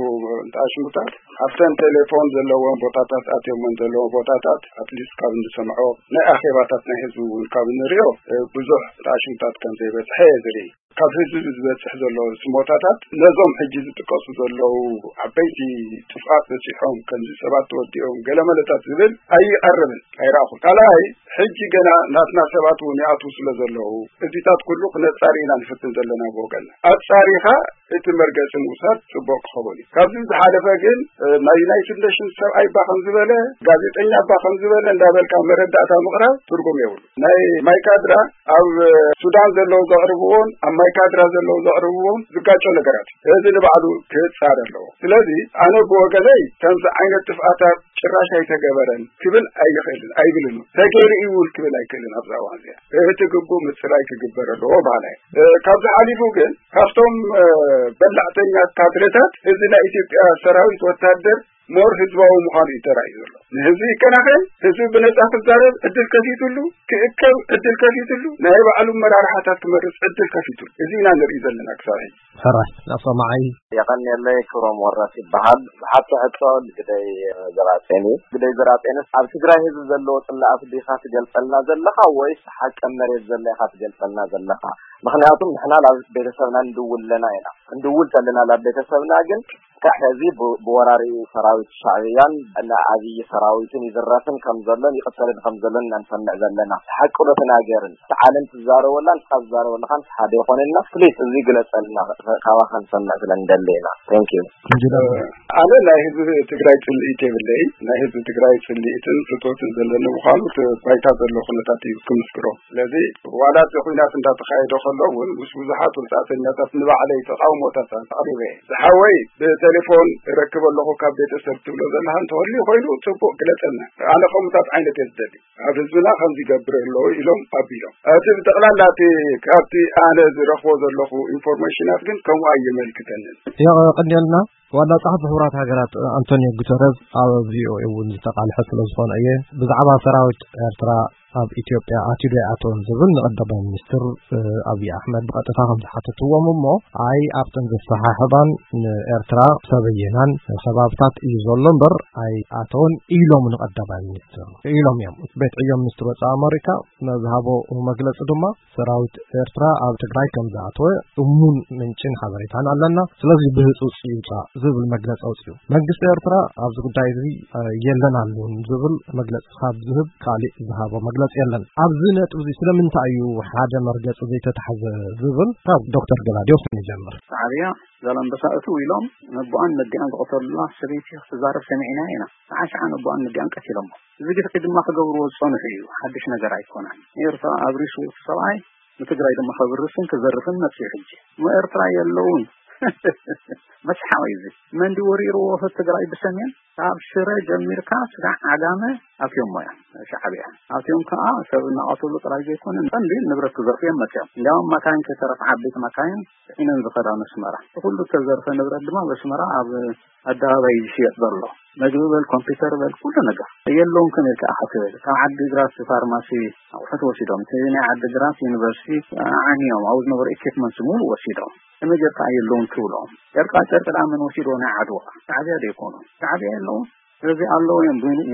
ኣሽሙታት ኣብተን ቴሌፎን ዘለዎም ቦታታት ኣትዮምን ዘለዎም ቦታታት ኣትሊስት ካብ እንሰምዖ ናይ ኣኼባታት ናይ ህዝቢ እውን ካብ እንሪኦ እ፣ ብዙሕ ኣሽሙታት ከም ዘይበፅሐ እየ ዝርኢ። ካብ ህዝቢ ዝበጽሕ ዘሎ ስሞታታት ነዞም ሕጂ ዝጥቀሱ ዘለዉ ዓበይቲ ጥፍኣት በጺሖም፣ ከምዚ ሰባት ተወዲኦም፣ ገለመለታት ዝብል ኣይቐርብን፣ ኣይረኣኹን። ካልኣይ፣ ሕጂ ገና ናትና ሰባት እውን ይኣትዉ ስለ ዘለዉ፣ እዚታት ኩሉ ክነጻሪ ኢና ንፍትን ዘለና ብወገንና። ኣጻሪኻ እቲ መርገጺ ምውሳድ ጽቡቕ ክኸውን እዩ። ካብዚ ዝሓለፈ ግን፣ እ፣ ናይ ዩናይትድ ኔሽንስ ሰብኣይ እባ ከም ዝበለ፣ ጋዜጠኛ እባ ከም ዝበለ እንዳበልካ መረዳእታ ምቕራብ ትርጉም የብሉ። ናይ ማይካድራ ኣብ ሱዳን ዘለዉ ዘቕርብዎን ኣብ ማይካድራ ዘለዉ ዘቕርብዎን ዝጋጮ ነገራት እዩ። እዚ ንባዕሉ ክጻረ ኣለዎ። ስለዚ ኣነ ብወገነይ ከምዚ ዓይነት ጥፍኣታት ጭራሽ ኣይተገበረን ክብል ኣይኽእልን፣ ኣይብልን። ተገይሩ እዩ እውን ክብል ኣይክእልን። ኣብዛ እዋን እዚኣ እቲ ግቡእ ምጽራይ ክግበር ኣለዎ በሃላይ። እ፣ ካብዚ ሓሊፉ ግን ካብቶም፣ እ፣ በላዕተኛ ካድረታት እዚ ናይ ኢትዮጵያ ሰራዊት ወታደር ሞር ህዝባዊ ምዃኑ እዩ ተራእዩ ዘሎ። ንህዝቢ ይከናኸን፣ ህዝቢ ብነጻ ክዛረብ ዕድል ከፊቱሉ፣ ክእከብ ዕድል ከፊቱሉ፣ ናይ ባዕሉ መራርሓታት ክመርጽ ዕድል ከፊቱሉ። እዚ ኢና ንርኢ ዘለና ክሳብ ሕጂ። ሕራይ፣ ናብ ሰማዓይ። የቐንየለይ፣ ክብሮም ወረስ ይበሃል። ብሓቂ ሕቶ ንግደይ ዘራጼን እዩ። ግደይ ዘራጼንስ ኣብ ትግራይ ህዝቢ ዘለዎ ጽላኣት ዲኻ ትገልጸልና ዘለኻ ወይስ ሓቂ መሬት ዘሎ ኢኻ ትገልጸልና ዘለኻ? ምኽንያቱም ንሕና ናብ ቤተሰብና ንድውል ኣለና ኢና። ክንድውል ተለና ናብ ቤተሰብና ግን ካብ ሕዚ ብ- ብወራሪ ሰራዊት ሻዕብያን እና ዓብዪ ሰራዊትን ይዝረፍን ከም ዘሎን ይቕተልን ከም ዘሎን ኢና ንሰምዕ ዘለና። ሓቂ ዶ ተናገርን? እቲ ዓለም ትዛረበላን ካብ ትዛረበልኻን ሓደ ይኾነና። ፕሊስ እዚ ግለጸልና፣ ካባኻ ንሰምዕ ስለ እንደለና። Thank you። ኣነ ናይ ህዝቢ ትግራይ ጽልኢት የብለይ። ናይ ህዝቢ ትግራይ ጽልኢትን ፍትወትን ዘለኒ ምዃኑ እቲ ባይታ ዘሎ ኩነታት እዩ ክምስክሮ። ስለዚ ዋላ እቲ ኩናት እንዳተኻየደ ከሎ እውን ምስ ብዙሓት ወጻእተኛታት ንባዕለይ ተቃውሞታት ኣቅሪበ እየ። ዝሓወይ ብቴሌፎን እረክብ ኣለኹ ካብ ቤተሰብ ትብሎ ዘለኻ እንተወልዩ ኮይኑ ጽቡቅ ግለጸልና። ኣነ ከምኡታት ዓይነት እየ ዝደሊ። ኣብ ህዝብና ከምዚ ይገብር ኣለዉ ኢሎም ኣቢሎም። እቲ ብጠቕላላ እቲ ካብቲ ኣነ ዝረኽቦ ዘለኹ ኢንፎርሜሽናት ግን ከምኡ ኣይመልክተንን። የቐንየልና። ዋና ጸሓፊ ሕቡራት ሃገራት ኣንቶኒዮ ጉተረዝ ኣብ ቪኦኤ እውን ዝተቃልሐ ስለ ዝኾነ እየ። ብዛዕባ ሰራዊት ኤርትራ ኣብ ኢትዮጵያ ኣትዩ ዶ ኣይኣተወን ዝብል ንቀዳማይ ሚኒስትር ኣብይ ኣሕመድ ብቐጥታ ከም ዝሓተትዎም እሞ ኣይ ኣብተን ዘሰሓሕባን ንኤርትራ ሰበየናን ከባብታት እዩ ዘሎ እምበር ኣይኣተወን ኢሎም ንቀዳማይ ሚኒስትር ኢሎም እዮም። ቤት ዕዮ ሚኒስትር ወፃኢ ኣመሪካ መዝሃቦ መግለፂ ድማ ሰራዊት ኤርትራ ኣብ ትግራይ ከም ዝኣተወ እሙን ምንጭን ሓበሬታን ኣለና። ስለዚ ብህፁፅ ይውፃእ ዝብል መግለፂ ኣውፅኡ። መንግስቲ ኤርትራ ኣብዚ ጉዳይ እዚ የለን ኣሉን ዝብል መግለፂ ካብ ዝህብ ካሊእ ዝሃቦ መግለፂ የለን። ኣብዚ ነጥቢ እዚ ስለምንታይ እዩ ሓደ መርገፂ ዘይተታሕዘ ዝብል ካብ ዶክተር ገላዲዮስ ንጀምር። ሻዕብያ ዛላምበሳ እትው ኢሎም ነቦኣን ነዲኣን ዝቐተሉላ ሰበይቲ ክትዛረብ ሰሚዕና ኢና። ሰዓ ሸዓ ነቦኣን ነዲኣን ቀቲሎሞ። እዚ ግፍዒ ድማ ክገብርዎ ዝፀንሑ እዩ። ሓድሽ ነገር ኣይኮነን። ኤርትራ ኣብሪሱ እቲ ሰብኣይ ንትግራይ ድማ ከብርስን ክዘርፍን መፅዩ ሕጂ። እሞ ኤርትራ የለውን። መስሓቕ እዩ እዚ። መን ድዩ ወሪርዎ እቲ ትግራይ ብሰሜን? ካብ ሽረ ጀሚርካ ስጋዕ ዓጋመ ኣትዮሞ እዮም ሻዕብያ። ኣትዮም ከዓ ሰብ እናቐተሉ ጥራይ ዘይኮነ ቀንዲ ንብረት ክዘርፉ እዮም መፅዮም። እንዲያውም መካይን ከይተረፍ ዓበይቲ መካይን ዒነን ዝኸዳ መስመራ። ኩሉ ዝተዘርፈ ንብረት ድማ መስመራ ኣብ ኣደባባይ ዝሽየጥ ዘሎ መግቢ በል ኮምፒውተር በል ኩሉ ነገር የለውም ከም ኢልካ ኢኻ ትብል። ካብ ዓዲ ግራት ፋርማሲ ኣቑሑት ወሲዶም፣ እቲ ናይ ዓዲ ግራት ዩኒቨርሲቲ ዓንዮም ኣብኡ ዝነበሩ ኢኩፕመንትስ ሙሉ ወሲዶም። ከመይ ጌርካ የለውን ትብሎም? ጨርቃ ጨርቂ ደኣ መን ወሲዶ ናይ ዓድዋ? ሻዕብያ ዶ ይኮኑ? ሻዕብያ የለውን። ስለዚ ኣለዉ እዮም ብሙሉእ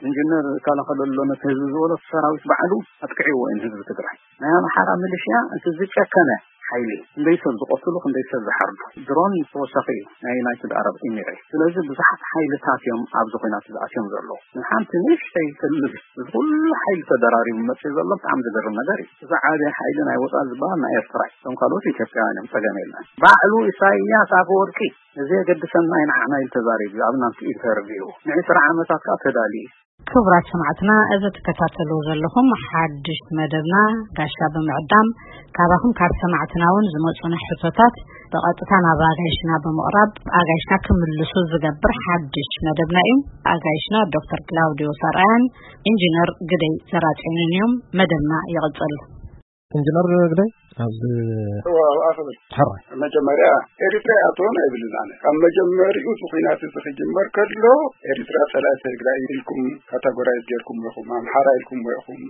ኢንጂነር ዝከላኸለሉ ነቲ ህዝቢ ዝበሎ እቲ ሰራዊት ባዕሉ ኣጥቅዕዎ እዮም ህዝቢ ትግራይ። ናይ ኣምሓራ ሚሊሽያ እቲ ዝጨከነ ሓይሊ ክንደይ ሰብ ዝቐትሉ ክንደይ ሰብ ዝሓርዱ ድሮን ተወሳኺ እዩ ናይ ዩናይትድ ኣረብ ኢሚሬት። ስለዚ ብዙሓት ሓይልታት እዮም ኣብዚ ኩናት ዝኣትዮም ዘለዉ። ንሓንቲ ንእሽተይ ክልል እዚ ኩሉ ሓይሊ ተደራሪቡ መፅኡ ዘሎ ብጣዕሚ ዝገርም ነገር እዩ። እዚ ዓብዪ ሓይሊ ናይ ወፃኢ ዝበሃል ናይ ኤርትራ እዩ። እቶም ካልኦት ኢትዮጵያውያን እዮም ፀገም የለን። ባዕሉ ኢሳይያስ ኣፈወርቂ እዚ የገድሰና እዩ ንዓና ኢሉ ተዛሪቡ ኣብ ናቱ ኢንተርቪው ንዕስራ ዓመታት ከዓ ተዳልዩ። ክቡራት ሰማዕትና እዚ ትከታተልዎ ዘለኹም ሓድሽ መደብና ጋሻ ብምዕዳም ካባኹም ካብ ሰማዕትና እውን ዝመፁና ሕቶታት ብቐጥታ ናብ ኣጋይሽና ብምቕራብ ኣጋይሽና ክምልሱ ዝገብር ሓድሽ መደብና እዩ። ኣጋይሽና ዶክተር ክላውዲዮስ ኣርኣያን ኢንጂነር ግደይ ዘራፅዮንን እዮም። መደብና ይቕፅል። ኢንጂነር ግደይ ኣብዚ ሕራይ መጀመርያ ኤሪትራ ይኣትወን ኣይብልን ኣነ። ካብ መጀመሪኡ እቲ ኩናት እዚ ክጅመር ከሎ ኤሪትራ ጸላእቲ ትግራይ ኢልኩም ካታጎራይዝ ጌርኩም ኢኹም፣ ኣምሓራ ኢልኩም ኢኹም።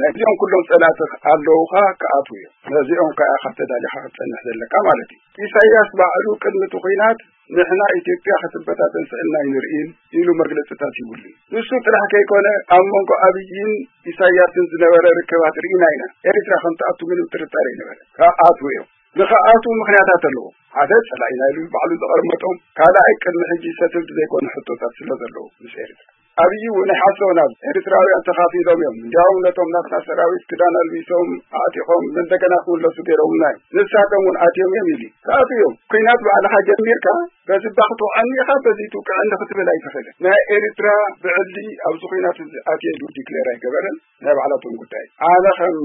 ነዚኦም ኩሎም ጸላእቲ ኣለውኻ ክኣትዉ እዮም። ነዚኦም ከኣ ኢኻ ተዳሊኻ ክትጸንሕ ዘለካ ማለት እዩ። ኢሳያስ ባዕሉ ቅድሚ እቲ ኩናት ንሕና ኢትዮጵያ ክትበታተን ስእልና ኣይንርእን ኢሉ መግለጽታት ይብሉ። ንሱ ጥራሕ ከይኮነ ኣብ መንጎ ኣብይን ኢሳያስን ዝነበረ ርክባት ርኢና ኢና። ኤሪትራ ከም ትኣቱ ምንም ጥርጣረ ኣይነበረ። ክኣትዉ እዮም። ንኽኣትዉ ምኽንያታት ኣለዎ። ሓደ ጸላኢና ኢሉ ባዕሉ ዘቐመጦም፣ ካልኣይ ቅድሚ ሕጂ ሰትልድ ዘይኮነ ሕቶታት ስለ ዘለዉ ምስ ኤሪትራ። ኣብይ እውን ኣይሓሰቡን። ኣብ ኤሪትራውያን ተኻፊሎም እዮም። እንዲያውም ነቶም ናትና ሰራዊት ክዳን ኣልቢሶም ኣዕጢቖም እንደገና ክምለሱ ገይሮምና እዮም። ንሳቶም እውን ኣትዮም እዮም ኢሉ ክኣትዉ እዮም። ኩናት ባዕልኻ ጀሚርካ በዚ እባ ክትውዕኒ ኢኻ በዚ ትውቅዐኒ ክትብል ኣይትኽእልን። ናይ ኤሪትራ ብዕሊ ኣብዚ ኩናት እዚ ኣትየ ኢሉ ዲክሌር ኣይገበረን። ናይ ባዕላቶም ጉዳይ። ኣነ ከም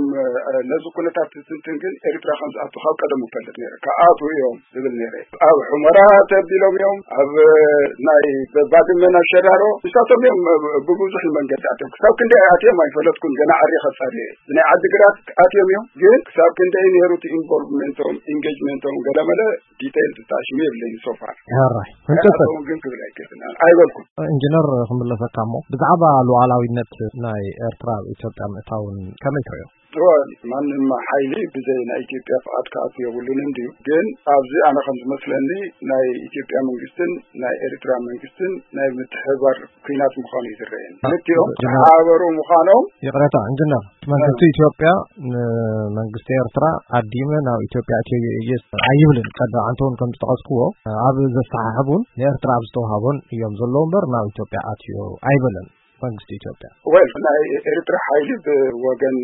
ነዚ ኩነታት ዝትንትን ግን ኤሪትራ ከም ዝኣቱ ካብ ቀደሙ እፈልጥ ነይረ። ክኣትዉ እዮም ዝብል ነይረ። ኣብ ሑመራ ተቢሎም እዮም፣ ኣብ ናይ ባድመን ኣሸራሮ ንሳቶም እዮም ብብዙሕ መንገዲ ኣትዮም። ክሳብ ክንደይ ኣትዮም ኣይፈለጥኩን፣ ገና ዓርየ ከጻሪ እየ። ብናይ ዓዲግራት ኣትዮም እዮም፣ ግን ክሳብ ክንደይ ነይሩ እቲ ኢንቮልቭመንቶም ኢንጌጅመንቶም ገለመለ ዲቴይል ዝጣሽሙ የብለይን ሶፋር። ሕራይ እንተሰ ግን ክብል ኣይክእልን ኣይበልኩን። ኢንጂነር ክምለሰካ እሞ ብዛዕባ ሉዓላዊነት ናይ ኤርትራ ኣብ ኢትዮጵያ ምእታውን ከመይ ትርእዮ? እወ፣ ማንም ሓይሊ ብዘይ ናይ ኢትዮጵያ ፍቓድ ክኣቱ የብሉን እንድዩ። ግን ኣብዚ ኣነ ከም ዝመስለኒ ናይ ኢትዮጵያ መንግስትን ናይ ኤርትራ መንግስትን ናይ ምትሕባር ኩናት ምዃኑ እዩ ዝረኣየኒ። ክልቲኦም ጀነራል፣ ተሓባበሩ ምዃኖም። ይቕረታ ኢንጅነር፣ እቲ መንግስቲ ኢትዮጵያ ንመንግስቲ ኤርትራ ዓዲመ ናብ ኢትዮጵያ እትዮ እየ ኣይብልን። ቀዳም ኣንተ እውን ከም ዝጠቐስክዎ ኣብ ዘሰሓሕቡን ንኤርትራ ኣብ ዝተዋሃቦን እዮም ዘለዉ እምበር ናብ ኢትዮጵያ ኣትዮ ኣይበለን መንግስቲ ኢትዮጵያ። ወል ናይ ኤርትራ ሓይሊ ብወገን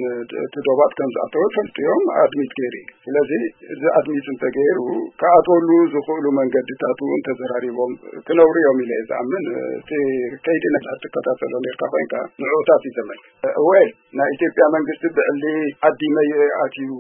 እቲ ዶባት ከም ዝኣተወ ፈልጡ እዮም ኣድሚት ገይሩ እዩ። ስለዚ እዚ ኣድሚት እንተገይሩ ክኣትወሉ ዝኽእሉ መንገድታት እውን ተዘራሪቦም ክነብሩ እዮም ኢለ እየ ዝኣምን። እቲ ከይዲ ነዛ ትከታተሎ ነርካ ኮይንካ ንዕኡታት እዩ ዘመልክት። ወል ናይ ኢትዮጵያ መንግስቲ ብዕሊ ዓዲመ ኣትዩ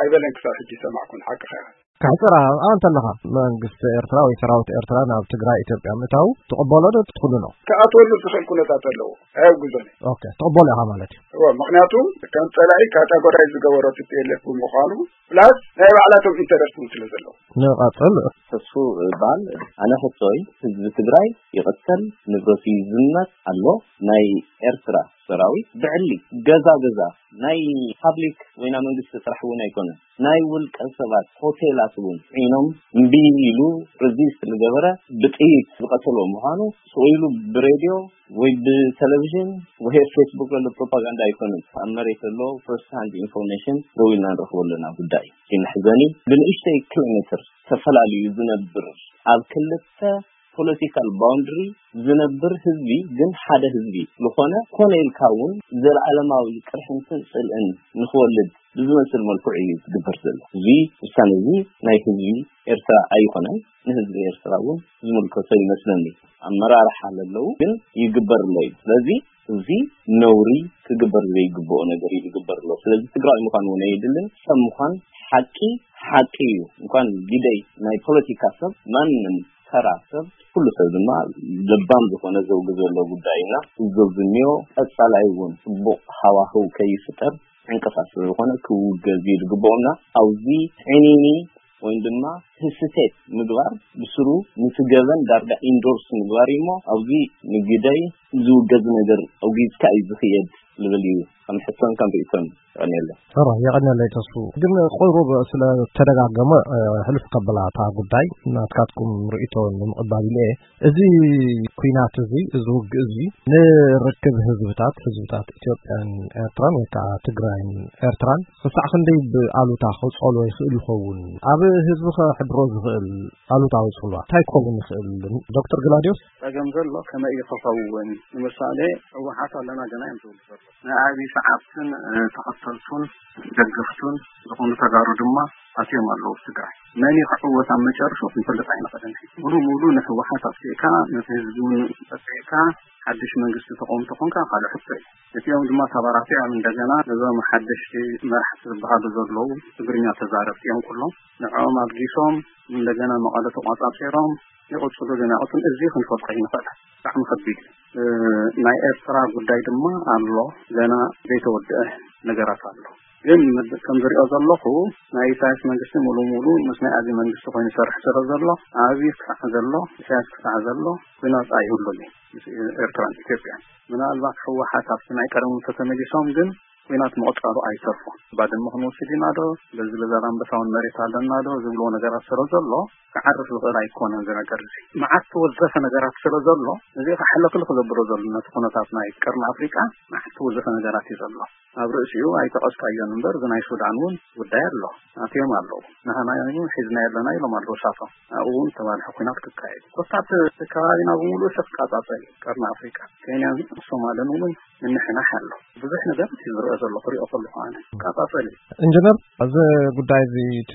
ኣይበለን ክሳብ ሕጂ ሰማዕኩን ሓቅኻ። ክሕፅር ኣንተ ኣለኻ መንግስቲ ኤርትራ ወይ ሰራዊት ኤርትራ ናብ ትግራይ ኢትዮጵያ ምእታው ትቕበሎ ዶ ትትክሉ ነው? ክኣትወሉ ዝኽእል ኩነታት ኣለዎ። ኣየውግዞን እዩ። ኦኬ፣ ትቕበሎ ኢኻ ማለት እዩ። እዎ፣ ምኽንያቱ ከም ጸላኢ ካታጎራይ ዝገበሮ ቲ ፒ ኤል ኤፍ ብምዃኑ ፕላስ ናይ ባዕላቶም ኢንተረስት እውን ስለ ዘለዎ። ንቐጽል። ተስፉ ይበሃል። ኣነ ሕቶይ ህዝቢ ትግራይ ይቕተል፣ ንብረቱ ይዝመት ኣሎ። ናይ ኤርትራ ሰራዊት ብዕሊ ገዛ ገዛ ናይ ፓብሊክ ወይ ናይ መንግስቲ ስራሕ እውን ኣይኮነን። ናይ ውልቀ ሰባት ሆቴላት እውን ዒኖም እምቢ ኢሉ ሬዚስት ዝገበረ ብጥይት ዝቐተሎ ምዃኑ ስቕ ኢሉ ብሬድዮ ወይ ብቴሌቪዥን ወይ ኣብ ፌስቡክ ዘሎ ፕሮፓጋንዳ ኣይኮነን። ኣብ መሬት ዘሎ ፈርስት ሃንድ ኢንፎርሜሽን ደው ኢልና ንረኽቦ ኣለና ጉዳይ እዩ። እቲ መሕዘኒ ብንእሽተይ ኪሎ ሜትር ተፈላልዩ ዝነብር ኣብ ክልተ ፖለቲካል ባውንድሪ ዝነብር ህዝቢ ግን ሓደ ህዝቢ ዝኾነ ኮነ ኢልካ እውን ዘለዓለማዊ ቅርሕንትን ጽልእን ንኽወልድ ብዝመስል መልክዑ እዩ ዝግበር ዘሎ። እዚ ውሳነ እዚ ናይ ህዝቢ ኤርትራ ኣይኮነን። ንህዝቢ ኤርትራ እውን ዝምልከቶ ይመስለኒ። ኣመራርሓ ለለዉ ግን ይግበር ኣሎ እዩ። ስለዚ እዚ ነውሪ ክግበር ዘይግብኦ ነገር እዩ ዝግበር ኣሎ። ስለዚ ትግራዊ ምዃን እውን ኣየድልን። ሰብ ምዃን ሓቂ ሓቂ እዩ። እንኳን ግደይ ናይ ፖለቲካ ሰብ፣ ማንም ተራ ሰብ፣ ኩሉ ሰብ ድማ ለባም ዝኾነ ዘውጊ ዘሎ ጉዳይ እና እዚ ዝኒኦ ቀጻላይ እውን ጽቡቕ ሃዋህው ከይፍጠር ዕንቅፋት ስለ ዝኾነ ክውገዝ እዩ ዝግብኦ እና ኣብዚ ዕኒኒ ወይም ድማ ህስቴት ምግባር ብስሩ ነቲ ገበን ዳርጋ ኢንዶርስ ምግባር እዩ እሞ ኣብዚ ንግደይ ዝውገዝ ነገር ኣውጊዝካ እዩ ዝኽየድ ልብል እዩ ከም ሕቶን ከም ርእይቶን። የቐንየለይ። ሕራይ፣ የቐንየለይ ተስፉ። ግን ቁሩብ ስለ ተደጋገመ፣ እ፣ ሕልፍ ከበላ እታ ጉዳይ ናትካትኩም ርእይቶ ንምቕባል ኢለ እየ። እዚ ኲናት እዚ፣ እዚ ውግእ እዚ ንርክብ ህዝብታት፣ ህዝብታት ኢትዮጵያን ኤርትራን ወይ ከዓ ትግራይን ኤርትራን ክሳዕ ክንደይ ብኣሉታ ከውጸሎ ይኽእል ይኸውን? ኣብ ህዝቢ ከሕድሮ ዝኽእል ኣሉታዊ ጽልዋ እንታይ ክኸውን ይኽእል? ዶክተር ግላድዮስ? ጸገም ዘሎ ከመይ እዩ ክኸውን? ንምሳሌ ህወሓት ኣለና ገና እዮም ዝብሉ ዘለዉ። ናይ ኣብዪ ሰዓብትን፣ እ፣ ተኸተልቱን ደገፍቱን ዝኾኑ ተጋሩ ድማ ኣትዮም ኣለዉ ኣብ ትግራይ። መን እዩ ክዕወት ኣብ መጨረሻ ክንፈልጥ ኣይንኽእልን። ሙሉ ሙሉ ንህወሓት ኣጥፊእካ፣ ነቲ ህዝቢ እውን ኣጥፊእካ፣ ሓድሽ መንግስቲ ተቆምቲ ኮንካ ካልእ ሕቶ እዩ። እቲኦም ድማ ተባራቲዖም እንደገና ነዞም ሓደሽቲ መራሕቲ ዝበሃሉ ዘለዉ ትግርኛ ተዛረብቲ እዮም ኩሎም። ንዕኦም ኣልጊሶም እንደገና መቐለ ተቋጻጺሮም ይቕጽሉ ግን ኣይቕጽሉን። እዚ ክንፈልጦ ኣይንኽእልን። ብጣዕሚ ከቢድ እዩ። እ፣ ናይ ኤርትራ ጉዳይ ድማ ኣሎ፣ ገና ዘይተወድአ ነገራት ኣሎ። ግን ምድ-፣ ከም ዝሪኦ ዘለኹ ናይ ኢሳያስ መንግስቲ ሙሉ ሙሉ ምስ ናይ ኣብዪ መንግስቲ ኮይኑ ይሰርሕ ስለ ዘሎ ኣብዪ ክሳዕ ዘሎ ኢሳያስ ክሳዕ ዘሎ ኩናት ኣይህሉን እዩ ምስ ኤርትራን ኢትዮጵያን። ምናልባት ህወሓት ኣብቲ ናይ ቀደሞም ተተመሊሶም ግን ኩናት ምቕጻሉ ኣይተርፎ። ባድመ ክንወስድ ኢና ዶ፣ በዚ በዛላምበሳ እውን መሬት ኣለና ዶ ዝብልዎ ነገራት ስለ ዘሎ ክዓርፍ ዝኽእል ኣይኮነን። እዚ ነገር እዚ መዓት ተወዘፈ ነገራት ስለ ዘሎ እዚ ከሕለክልክ ዘብሎ ዘሎ ነቲ ኩነታት ናይ ቀርኒ ኣፍሪቃ መዓት ተወዘፈ ነገራት እዩ ዘሎ። ኣብ ርእሲኡ ኣይጠቐስካዮን እምበር፣ እዚ ናይ ሱዳን እውን ጉዳይ ኣሎ። ኣትዮም ኣለዉ። ንሕና እውን ሒዝና የለና ኢሎም ኣለዉ እሳቶም። ኣብኡ እውን ተባልሐ ኲናት ክካየድ እዩ። ኮታ እቲ ከባቢና ብምሉእ ሸፍ ቃጻጸል እዩ። ቀርኒ ኣፍሪቃ፣ ኬንያን ሶማልን እውን ምንሕናሕ ኣሎ። ብዙሕ ነገር እዩ ዝረአ ዘሎ፣ ክሪኦ ከለኹ ኣነ። ቃጻጸል እዩ። ኢንጂነር፣ እዚ ጉዳይ እዚ እቲ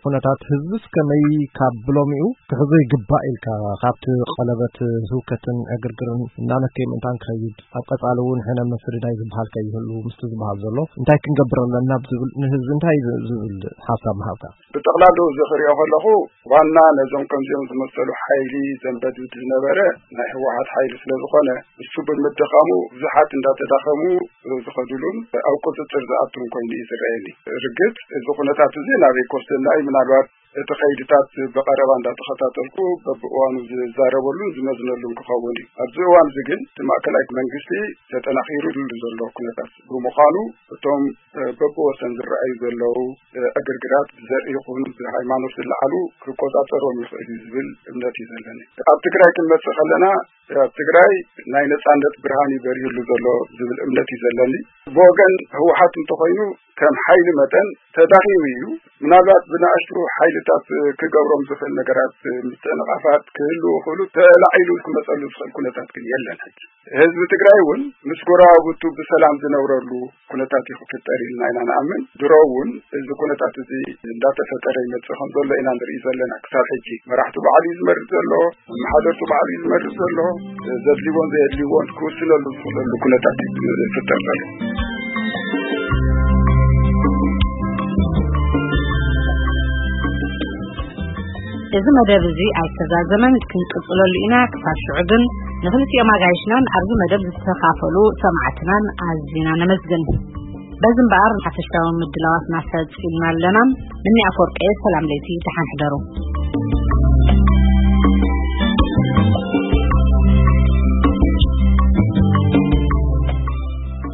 ኩነታት ህዝብስ ከመይ ካብ ብሎሚኡ ክሕዞ ይግባእ ኢልካ፣ ካብቲ ቀለበት ህውከትን ዕግርግርን እናነከየ ምእንታን ክኸይድ፣ ኣብ ቀጻሊ እውን ሕነ ምስርዳይ ዝበሃል ከይህሉ ምስቲ ዝበሃል ዘሎ እንታይ ክንገብር ኣለና ብዝብል ንህዝቢ እንታይ ዝ-፣ ዝብል ሓሳብ ምሃብካ? ብጠቕላሉ እዚ ክሪኦ ከለኹ ዋና ነዞም ከምዚኦም ዝመሰሉ ሓይሊ ዘንበድብድ ዝነበረ ናይ ህወሓት ሓይሊ ስለ ዝኾነ እሱ ብምድኻሙ ብዙሓት እንዳተዳኸሙ ዝኸዱሉን ኣብ ቁፅፅር ዝኣቱን ኮይኑ እዩ ዝረኣየኒ። ርግፅ እዚ ኩነታት እዚ ናበይ ክወስደና እዩ? ምናልባት እቲ ከይድታት ብቐረባ እንዳተኸታተልኩ በብእዋኑ ዝዛረበሉን ዝመዝነሉን ክኸውን እዩ። ኣብዚ እዋን እዚ ግን እቲ ማእከላይ መንግስቲ ተጠናኺሩሉ ዘሎ ኩነታት ብምዃኑ፣ እቶም በብወሰን ዝረኣዩ ዘለዉ ዕግርግራት ብዘርኢ ይኹን ብሃይማኖት ዝለዓሉ ክቆጻጸሮም ይኽእል እዩ ዝብል እምነት እዩ ዘለኒ። ኣብ ትግራይ ክንመጽእ ከለና፣ ኣብ ትግራይ ናይ ነጻነት ብርሃን እዩ በሪህሉ ዘሎ ዝብል እምነት እዩ ዘለኒ። ብወገን ህወሓት እንተኾይኑ፣ ከም ሓይሊ መጠን ተዳኺሙ እዩ። ምናልባት ብንኣሽቱ ሓይልታት ክገብሮም ዝኽእል ነገራት፣ ምትእንቓፋት ክህልዉ ይኽእሉ፣ ተላዒሉ ክመጸሉ ዝኽእል ኩነታት ግን የለን። ሕጂ ህዝቢ ትግራይ እውን ምስ ጎረባብቱ ብሰላም ዝነብረሉ ኩነታት እዩ ክፍጠር ኢልና ኢና ንኣምን። ድሮ እውን እዚ ኩነታት እዚ እንዳተፈጠረ ይመጽእ ከም ዘሎ ኢና ንርኢ ዘለና። ክሳብ ሕጂ መራሕቱ ባዕሉ እዩ ዝመርጽ ዘሎ፣ ኣመሓደርቱ ባዕሉ እዩ ዝመርጽ ዘሎ። ዘድልዎን ዘየድልዎን ክውስነሉ ዝኽእለሉ ኩነታት እዩ ዝፍጠር ዘሎ። እዚ መደብ እዚ ኣይተዛዘመን፣ ክንቅጽለሉ ኢና። ክሳብ ሽዑ ግን ንኽልቲኦም ኣጋይሽናን ኣብዚ መደብ ዝተኻፈሉ ሰማዕትናን ኣዚና ነመስግን። በዚ እምበኣር ሓፈሻዊ ምድላዋትና ፈጺምና ኣለና። ምኒ ኣፈወርቂ፣ ሰላም ለይቲ፣ ደሓን ሕደሩ።